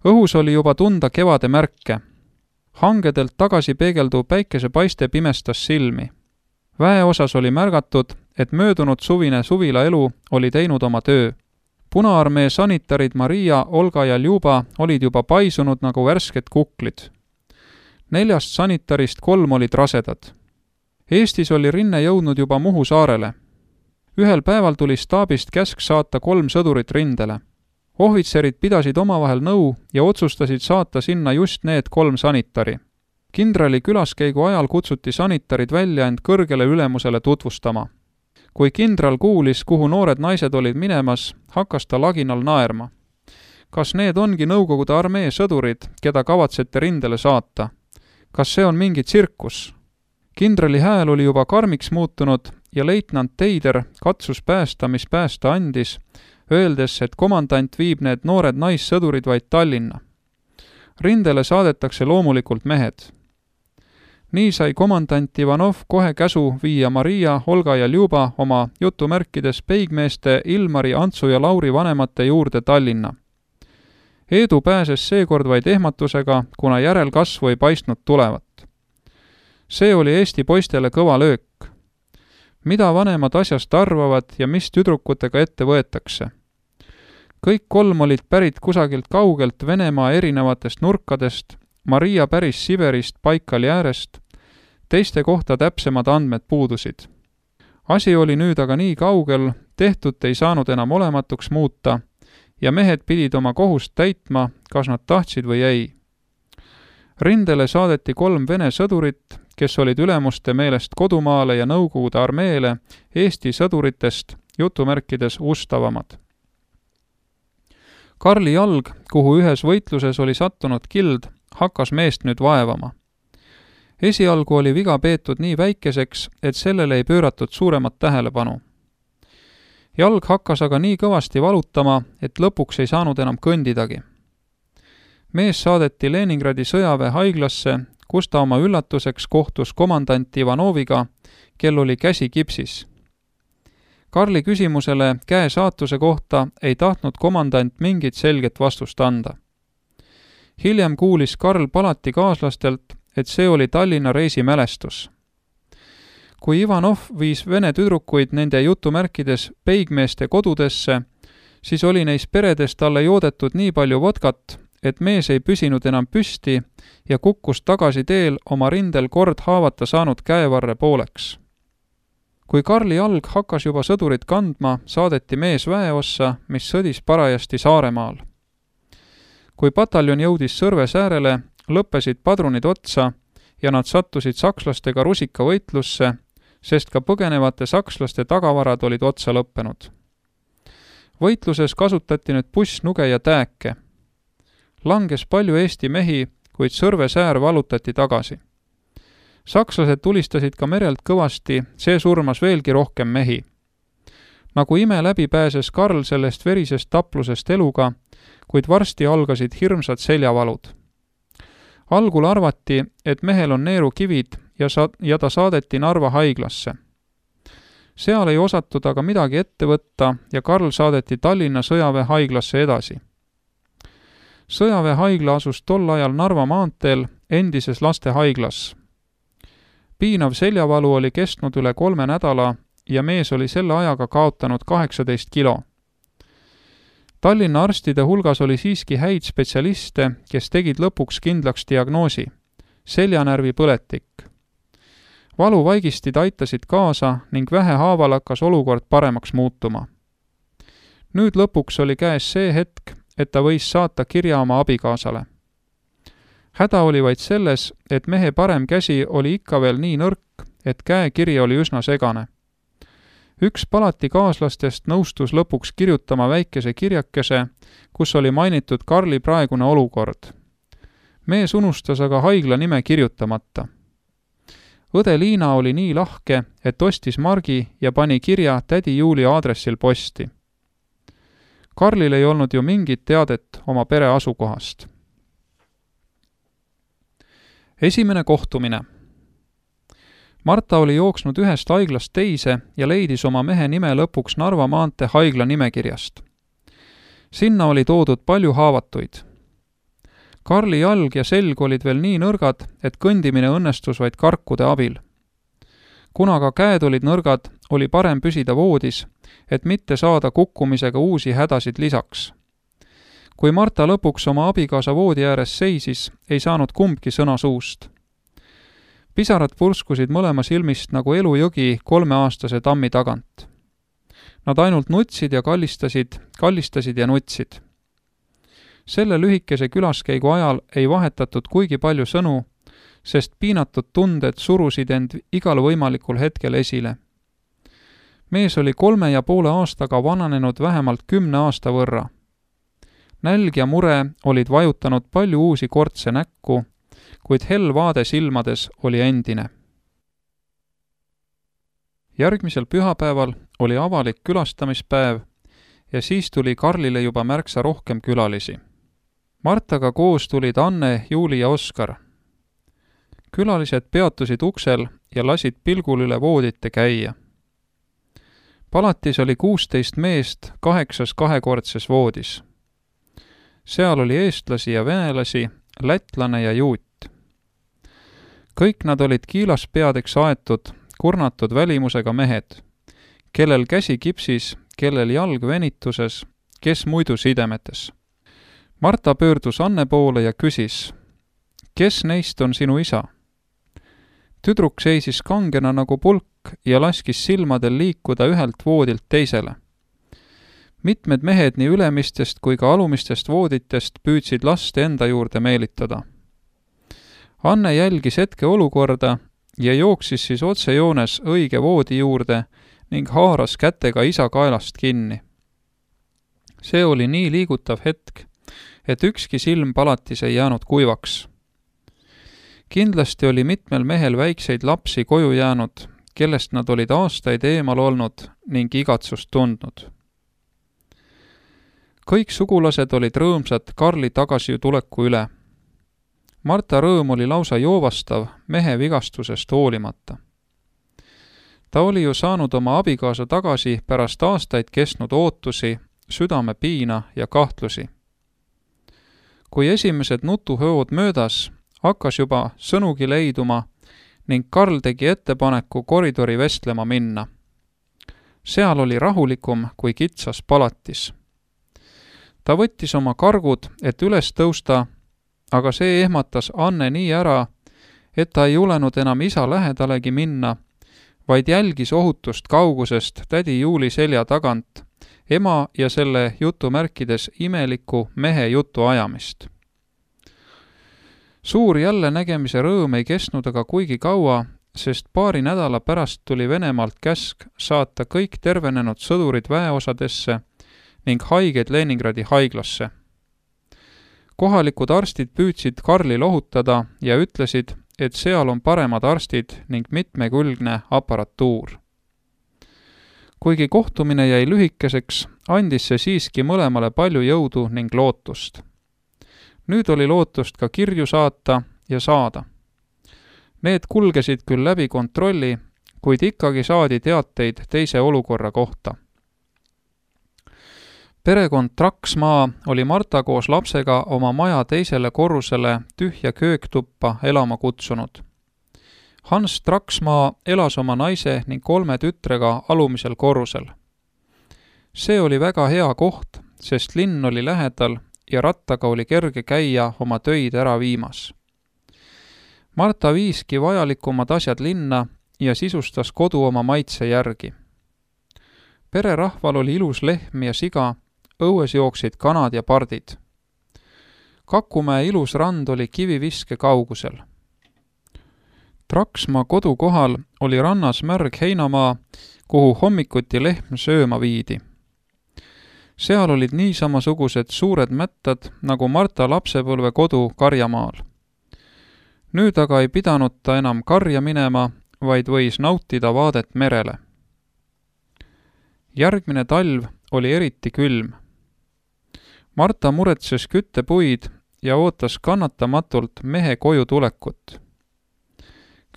Õhus oli juba tunda kevade märke. Hangedelt tagasi peegelduv päikesepaiste pimestas silmi. Väeosas oli märgatud, et möödunud suvine suvilaelu oli teinud oma töö. Punaarmee sanitarid Maria, Olga ja Ljuba olid juba paisunud nagu värsked kuklid. 4 sanitarist 3 olid rasedad. Eestis oli rinne jõudnud juba Muhu saarele. Ühel päeval tuli staabist käsk saata 3 sõdurit rindele. Ohvitserid pidasid omavahel nõu ja otsustasid saata sinna just need 3 sanitari. Kindrali külaskäigu ajal kutsuti sanitarid välja end kõrgele ülemusele tutvustama. Kui kindral kuulis, kuhu noored naised olid minemas, hakkas ta laginal naerma. Kas need ongi Nõukogude armee sõdurid, keda kavatsete rindele saata? Kas see on mingi tsirkus? Kindrali hääl oli juba karmiks muutunud ja leitnant Teider katsus päästa, mis päästa andis, öeldes, et komandant viib need noored naissõdurid vaid Tallinna. Rindele saadetakse loomulikult mehed. Nii sai komandant Ivanov kohe käsu viia Maria, Olga ja Ljuba oma jutumärkides peigmeeste Ilmari, Antsu ja Lauri vanemate juurde Tallinna. Eedu pääses seekord vaid ehmatusega, kuna järelkasvu ei paistnud tulevat. See oli Eesti poistele kõva löök. Mida vanemad asjast arvavad ja mis tüdrukutega ette võetakse? Kõik 3 olid pärit kusagilt kaugelt Venemaa erinevatest nurkadest, Maria päris Siberist Baikali äärest, teiste kohta täpsemad andmed puudusid. Asi oli nüüd aga nii kaugel, tehtut ei saanud enam olematuks muuta ja mehed pidid oma kohust täitma, kas nad tahtsid või ei. Rindele saadeti 3 vene sõdurit, kes olid ülemuste meelest kodumaale ja Nõukogude armeele Eesti sõduritest jutumärkides ustavamad. Karli jalg, kuhu ühes võitluses oli sattunud kild, hakkas meest nüüd vaevama. Esialgu oli viga peetud nii väikeseks, et sellele ei pööratud suuremat tähelepanu. Jalg hakkas aga nii kõvasti valutama, et lõpuks ei saanud enam kõndidagi. Mees saadeti Leningradi sõjaväe haiglasse, kus ta oma üllatuseks kohtus komandant Ivanoviga, kel oli käsi kipsis. Karli küsimusele käe saatuse kohta ei tahtnud komandant mingit selget vastust anda. Hiljem kuulis Karl palati kaaslastelt, et see oli Tallinna reisimälestus. Kui Ivanov viis vene tüdrukuid nende jutumärkides peigmeeste kodudesse, siis oli neis peredes talle joodetud nii palju vodkat, et mees ei püsinud enam püsti ja kukkus tagasi teel oma rindel kord haavata saanud käevarre pooleks. Kui Karli jalg hakkas juba sõdurit kandma, saadeti mees väeossa, mis sõdis parajasti Saaremaal. Kui pataljon jõudis Sõrve säärele, lõppesid padrunid otsa ja nad sattusid sakslastega rusikavõitlusse, sest ka põgenevate sakslaste tagavarad olid otsa lõppenud. Võitluses kasutati nüüd pussnuge ja tääke. Langes palju Eesti mehi, kuid Sõrve säär vallutati tagasi. Sakslased tulistasid ka merelt kõvasti, see surmas veelgi rohkem mehi. Nagu ime läbi pääses Karl sellest verisest taplusest eluga, kuid varsti algasid hirmsad seljavalud. Algul arvati, et mehel on neerukivid ja ta saadeti Narva haiglasse. Seal ei osatud aga midagi ette võtta ja Karl saadeti Tallinna sõjaväe haiglasse edasi. Sõjaväe haigla asus tol ajal Narva maanteel endises lastehaiglas. Piinav seljavalu oli kestnud üle 3 nädala ja mees oli selle ajaga kaotanud 18 kilo. Tallinna arstide hulgas oli siiski häid spetsialiste, kes tegid lõpuks kindlaks diagnoosi – seljanärvi põletik. Valuvaigistid aitasid kaasa ning vähehaaval hakkas olukord paremaks muutuma. Nüüd lõpuks oli käes see hetk, et ta võis saata kirja oma abikaasale. Häda oli vaid selles, et mehe parem käsi oli ikka veel nii nõrk, et käekiri oli üsna segane. Üks palati kaaslastest nõustus lõpuks kirjutama väikese kirjakese, kus oli mainitud Karli praegune olukord. Mees unustas aga haigla nime kirjutamata. Õde Liina oli nii lahke, et ostis margi ja pani kirja tädi Juuli aadressil posti. Karlil ei olnud ju mingit teadet oma pere asukohast. Esimene kohtumine. Marta oli jooksnud ühest haiglast teise ja leidis oma mehe nime lõpuks Narva maantee haigla nimekirjast. Sinna oli toodud palju haavatuid. Karli jalg ja selg olid veel nii nõrgad, et kõndimine õnnestus vaid karkude abil. Kuna ka käed olid nõrgad, oli parem püsida voodis, et mitte saada kukkumisega uusi hädasid lisaks. Kui Marta lõpuks oma abikaasa voodi ääres seisis, ei saanud kumbki sõna suust. Pisarad purskusid mõlema silmist nagu elujõgi 3-aastase tammi tagant. Nad ainult nutsid ja kallistasid ja nutsid. Selle lühikese külaskäigu ajal ei vahetatud kuigi palju sõnu, sest piinatud tunded surusid end igal võimalikul hetkel esile. Mees oli 3,5 aastaga vananenud vähemalt 10 aasta võrra. Nälg ja mure olid vajutanud palju uusi kortse näkku, kuid hell vaade silmades oli endine. Järgmisel pühapäeval oli avalik külastamispäev ja siis tuli Karlile juba märksa rohkem külalisi. Martaga koos tulid Anne, Juuli ja Oskar. Külalised peatusid uksel ja lasid pilgul üle voodite käia. Palatis oli 16 meest 8 kahekordses voodis. Seal oli eestlasi ja venelasi, lätlane ja juut. Kõik nad olid kiilaspeadeks aetud, kurnatud välimusega mehed, kellel käsi kipsis, kellel jalg venituses, kes muidu sidemetes. Marta pöördus Anne poole ja küsis, kes neist on sinu isa? Tüdruk seisis kangena nagu pulk ja laskis silmadel liikuda ühelt voodilt teisele. Mitmed mehed nii ülemistest kui ka alumistest vooditest püüdsid last enda juurde meelitada. Anne jälgis hetke olukorda ja jooksis siis otsejoones õige voodi juurde ning haaras kätega isa kaelast kinni. See oli nii liigutav hetk, et ükski silm palatis ei jäänud kuivaks. Kindlasti oli mitmel mehel väikseid lapsi koju jäänud, kellest nad olid aastaid eemal olnud ning igatsust tundnud. Kõik sugulased olid rõõmsad Karli tagasituleku üle. Marta rõõm oli lausa joovastav mehe vigastusest hoolimata. Ta oli ju saanud oma abikaasa tagasi pärast aastaid kestnud ootusi, südamepiina ja kahtlusi. Kui esimesed nutuhõod möödas, hakkas juba sõnugi leiduma ning Karl tegi ettepaneku koridori vestlema minna. Seal oli rahulikum kui kitsas palatis. Ta võttis oma kargud, et üles tõusta, aga see ehmatas Anne nii ära, et ta ei julenud enam isa lähedalegi minna, vaid jälgis ohutust kaugusest tädi Juuli selja tagant, ema ja selle jutumärkides imeliku mehe jutu ajamist. Suur jälle nägemise rõõm ei kestnud aga kuigi kaua, sest paari nädala pärast tuli Venemaalt käsk saata kõik tervenenud sõdurid väeosadesse ning haiged Leningradi haiglasse. Kohalikud arstid püüdsid Karli lohutada ja ütlesid, et seal on paremad arstid ning mitmekülgne aparatuur. Kuigi kohtumine jäi lühikeseks, andis see siiski mõlemale palju jõudu ning lootust. Nüüd oli lootust ka kirju saata ja saada. Need kulgesid küll läbi kontrolli, kuid ikkagi saadi teateid teise olukorra kohta. Perekond Traksmaa oli Marta koos lapsega oma maja teisele korrusele tühja kööktuppa elama kutsunud. Hans Traksmaa elas oma naise ning 3 tütrega alumisel korrusel. See oli väga hea koht, sest linn oli lähedal ja rattaga oli kerge käia oma töid ära viimas. Marta viiski vajalikumad asjad linna ja sisustas kodu oma maitse järgi. Pererahval oli ilus lehm ja siga, õues jooksid kanad ja pardid. Kakumäe ilus rand oli kiviviske kaugusel. Traksmaa kodu kohal oli rannas märg heinamaa, kuhu hommikuti lehm sööma viidi. Seal olid niisamasugused suured mättad, nagu Marta lapsepõlve kodu Karjamaal. Nüüd aga ei pidanud ta enam karja minema, vaid võis nautida vaadet merele. Järgmine talv oli eriti külm. Marta muretses küttepuid ja ootas kannatamatult mehe koju tulekut.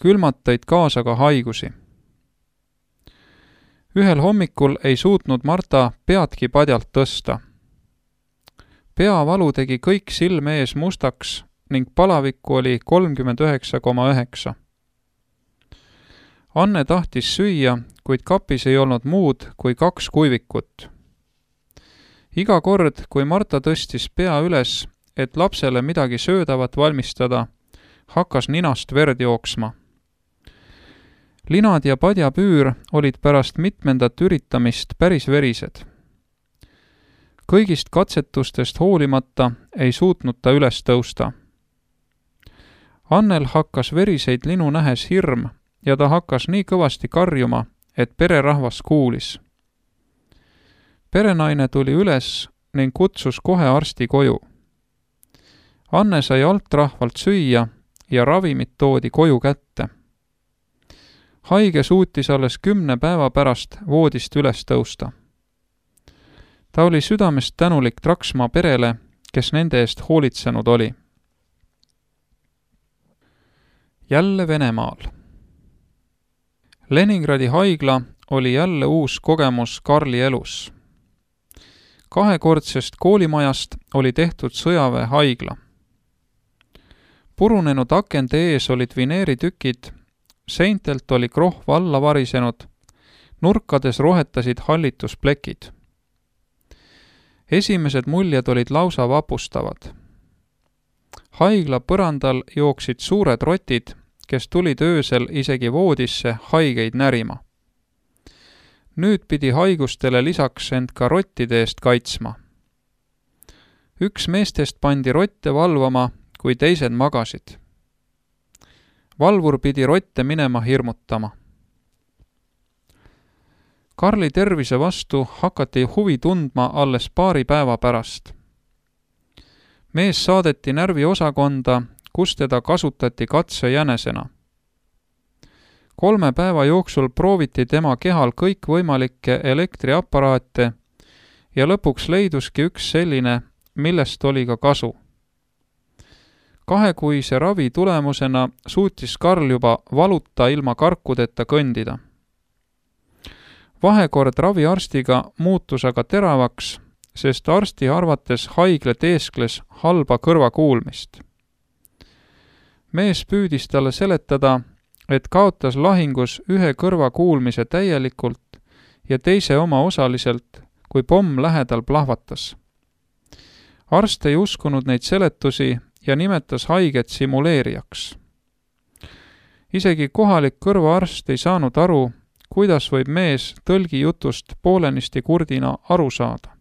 Külmad tõid kaasa ka haigusi. Ühel hommikul ei suutnud Marta peadki padjalt tõsta. peavalu tegi kõik silme ees mustaks ning palavikku oli 39,9. Anne tahtis süüa, kuid kapis ei olnud muud kui 2 kuivikut. Iga kord, kui Marta tõstis pea üles, et lapsele midagi söödavat valmistada, hakkas ninast verd jooksma. Linad ja padjapüür olid pärast mitmendat üritamist päris verised. Kõigist katsetustest hoolimata ei suutnud ta üles tõusta. Annel hakkas veriseid linu nähes hirm ja ta hakkas nii kõvasti karjuma, et pererahvas kuulis. Perenaine tuli üles ning kutsus kohe arsti koju. Anne sai altrahvalt süüa ja ravimid toodi koju kätte. Haige suutis alles 10 päeva pärast voodist üles tõusta. Ta oli südamest tänulik Traksmaa perele, kes nende eest hoolitsenud oli. Jälle Venemaal. Leningradi haigla oli jälle uus kogemus Karli elus. 2-kordsest koolimajast oli tehtud sõjaväehaigla. Purunenud akende ees olid vineeritükid, seintelt oli krohv alla varisenud, nurkades rohetasid hallitusplekid. Esimesed muljed olid lausa vapustavad. Haigla põrandal jooksid suured rotid, kes tulid öösel isegi voodisse haigeid närima. Nüüd pidi haigustele lisaks end ka rottide eest kaitsma. Üks meestest pandi rotte valvama, kui teised magasid. Valvur pidi rotte minema hirmutama. Karli tervise vastu hakati huvi tundma alles paari päeva pärast. Mees saadeti närviosakonda, kus teda kasutati katsejänesena. 3 päeva jooksul prooviti tema kehal kõikvõimalikke elektriaparaate ja lõpuks leiduski üks selline, millest oli ka kasu. 2-kuise ravi tulemusena suutis Karl juba valuta ilma karkudeta kõndida. Vahekord raviarstiga muutus aga teravaks, sest arsti arvates haigla teeskles halba kõrvakuulmist. Mees püüdis talle seletada, et kaotas lahingus ühe kõrva kuulmise täielikult ja teise oma osaliselt, kui pomm lähedal plahvatas. Arst ei uskunud neid seletusi ja nimetas haiget simuleerijaks. Isegi kohalik kõrvaarst ei saanud aru, kuidas võib mees tõlgi jutust poolenisti kurdina aru saada.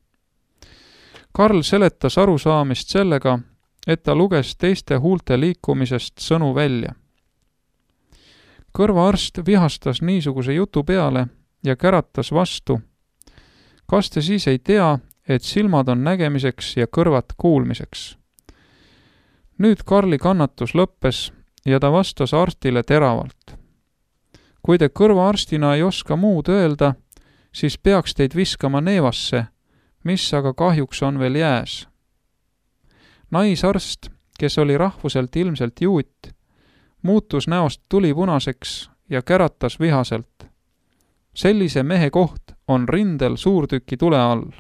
Karl seletas arusaamist sellega, et ta luges teiste huulte liikumisest sõnu välja. Kõrvaarst vihastas niisuguse jutu peale ja käratas vastu. Kas te siis ei tea, et silmad on nägemiseks ja kõrvad kuulmiseks? Nüüd Karli kannatus lõppes ja ta vastas arstile teravalt. Kui te kõrvaarstina ei oska muud öelda, siis peaks teid viskama neevasse, mis aga kahjuks on veel jääs. Naisarst, kes oli rahvuselt ilmselt juut, muutus näost tulipunaseks ja käratas vihaselt. Sellise mehe koht on rindel suurtüki tule all.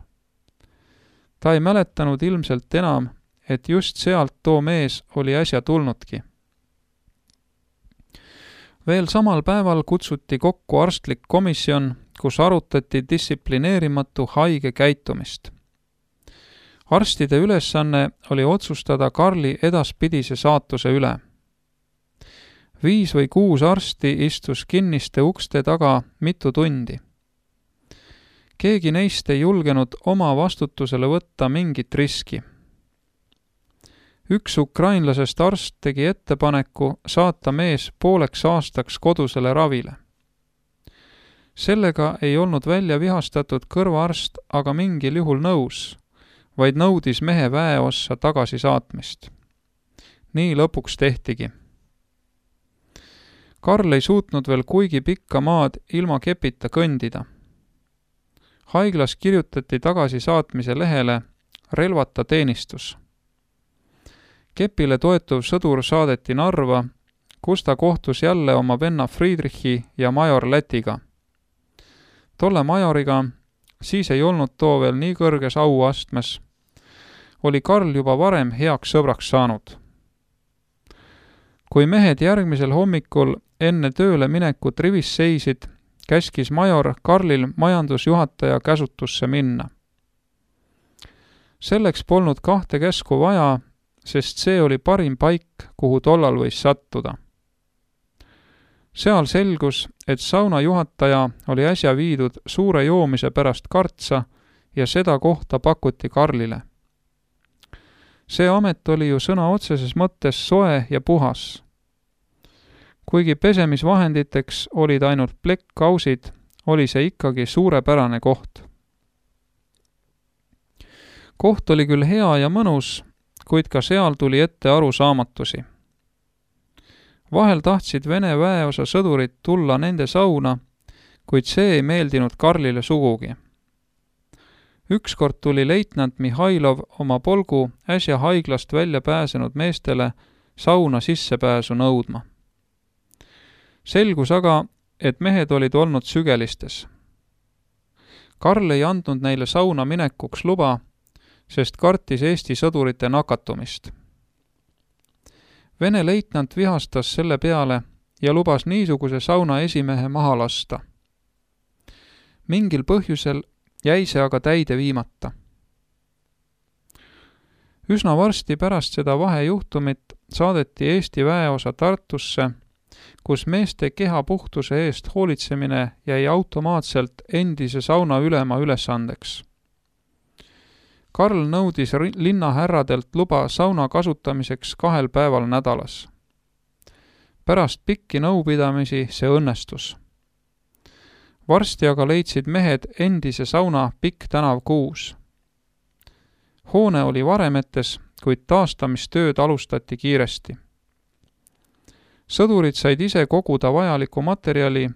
Ta ei mäletanud ilmselt enam, et just sealt too mees oli äsja tulnudki. Veel samal päeval kutsuti kokku arstlik komisjon, kus arutati distsiplineerimatu haige käitumist. Arstide ülesanne oli otsustada Karli edaspidise saatuse üle. 5 või 6 arsti istus kinniste ukste taga mitu tundi. Keegi neist ei julgenud oma vastutusele võtta mingit riski. Üks ukrainlasest arst tegi ettepaneku saata mees pooleks aastaks kodusele ravile. Sellega ei olnud välja vihastatud kõrvaarst aga mingil juhul nõus, vaid nõudis mehe väeossa tagasi saatmist. Nii lõpuks tehtigi. Karl ei suutnud veel kuigi pikka maad ilma kepita kõndida. Haiglas kirjutati tagasi saatmise lehele relvata teenistus. Kepile toetuv sõdur saadeti Narva, kus ta kohtus jälle oma venna Friedrichi ja major Lätiga. Tolle majoriga, siis ei olnud too veel nii kõrges auastmes, oli Karl juba varem heaks sõbraks saanud. kui mehed järgmisel hommikul enne tööle minekut rivis seisid, käskis major Karlil majandusjuhataja käsutusse minna. Selleks polnud 2 käsku vaja, sest see oli parim paik, kuhu tollal võis sattuda. Seal selgus, et sauna juhataja oli äsja viidud suure joomise pärast kartsa ja seda kohta pakuti Karlile. See amet oli ju sõna otseses mõttes soe ja puhas. Kuigi pesemisvahenditeks olid ainult plekkkausid, oli see ikkagi suurepärane koht. Koht oli küll hea ja mõnus, kuid ka seal tuli ette arusaamatusi. Vahel tahtsid Vene väeosa sõdurid tulla nende sauna, kuid see ei meeldinud Karlile sugugi. Ükskord tuli leitnant Mihhailov oma polgu äsja haiglast välja pääsenud meestele sauna sissepääsu nõudma. Selgus aga, et mehed olid olnud sügelistes. Karl ei andnud neile sauna minekuks luba, sest kartis Eesti sõdurite nakatumist. Vene leitnant vihastas selle peale ja lubas niisuguse sauna esimehe maha lasta. Mingil põhjusel jäi see aga täide viimata. Üsna varsti pärast seda vahejuhtumit saadeti Eesti väeosa Tartusse, kus meeste keha puhtuse eest hoolitsemine jäi automaatselt endise sauna ülema ülesandeks. Karl nõudis linnahärradelt luba sauna kasutamiseks 2 päeval nädalas. Pärast pikki nõupidamisi see õnnestus. Varsti aga leidsid mehed endise sauna Pikk tänav 6. Hoone oli varemetes, kuid taastamistööd alustati kiiresti. Sõdurid said ise koguda vajaliku materjali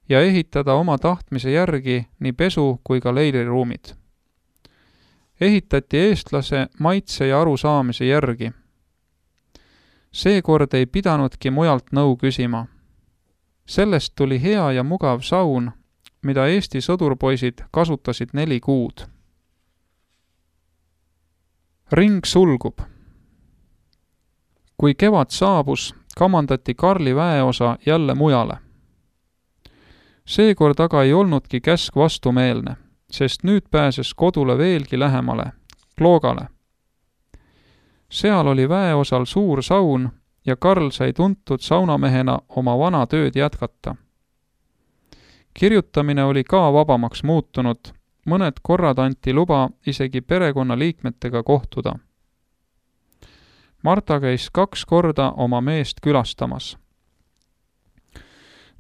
ja ehitada oma tahtmise järgi nii pesu kui ka leiliruumid. Ehitati eestlase maitse ja arusaamise järgi. Seekord ei pidanudki mujalt nõu küsima. Sellest tuli hea ja mugav saun, mida Eesti sõdurpoisid kasutasid 4 kuud. Ring sulgub. Kui kevad saabus, kamandati Karli väeosa jälle mujale. Seekord aga ei olnudki käsk vastumeelne, sest nüüd pääses kodule veelgi lähemale, Kloogale. Seal oli väeosal suur saun ja Karl sai tuntud saunamehena oma vana tööd jätkata. Kirjutamine oli ka vabamaks muutunud, mõned korrad anti luba isegi perekonnaliikmetega kohtuda. Marta käis 2 korda oma meest külastamas.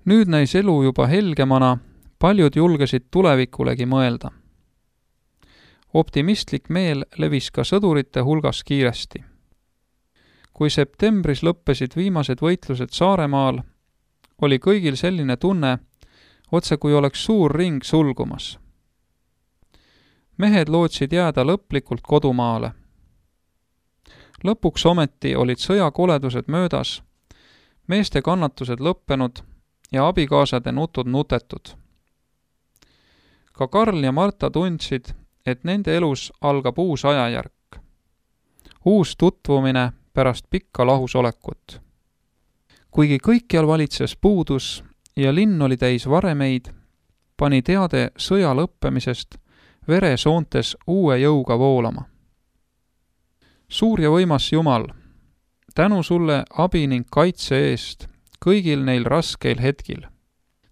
Nüüd näis elu juba helgemana, paljud julgesid tulevikulegi mõelda. Optimistlik meel levis ka sõdurite hulgas kiiresti. Kui septembris lõppesid viimased võitlused Saaremaal, oli kõigil selline tunne, otse kui oleks suur ring sulgumas. Mehed lootsid jääda lõplikult kodumaale. Lõpuks ometi olid sõjakoledused möödas, meeste kannatused lõppenud ja abikaasade nutud nutetud. Ka Karl ja Marta tundsid, et nende elus algab uus ajajärk. Uus tutvumine pärast pikka lahusolekut. Kuigi kõikjal valitses puudus ja linn oli täis varemeid, pani teade sõja lõppemisest veresoontes uue jõuga voolama. Suur ja võimas Jumal, tänu sulle abi ning kaitse eest kõigil neil raskeil hetkil.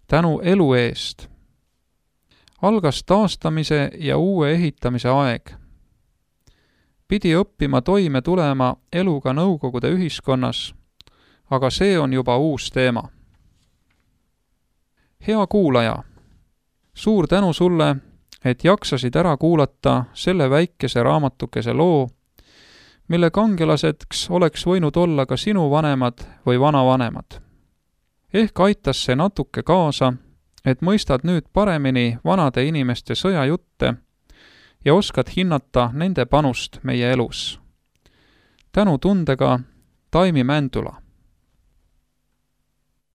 Tänu elu eest. Algas taastamise ja uue ehitamise aeg. Pidi õppima toime tulema eluga Nõukogude ühiskonnas, aga see on juba uus teema. Hea kuulaja, suur tänu sulle, et jaksasid ära kuulata selle väikese raamatukese loo, mille kangelaseks oleks võinud olla ka sinu vanemad või vanavanemad. Ehk aitas see natuke kaasa, et mõistad nüüd paremini vanade inimeste sõjajutte ja oskad hinnata nende panust meie elus. Tänu tundega Taimi Mändula.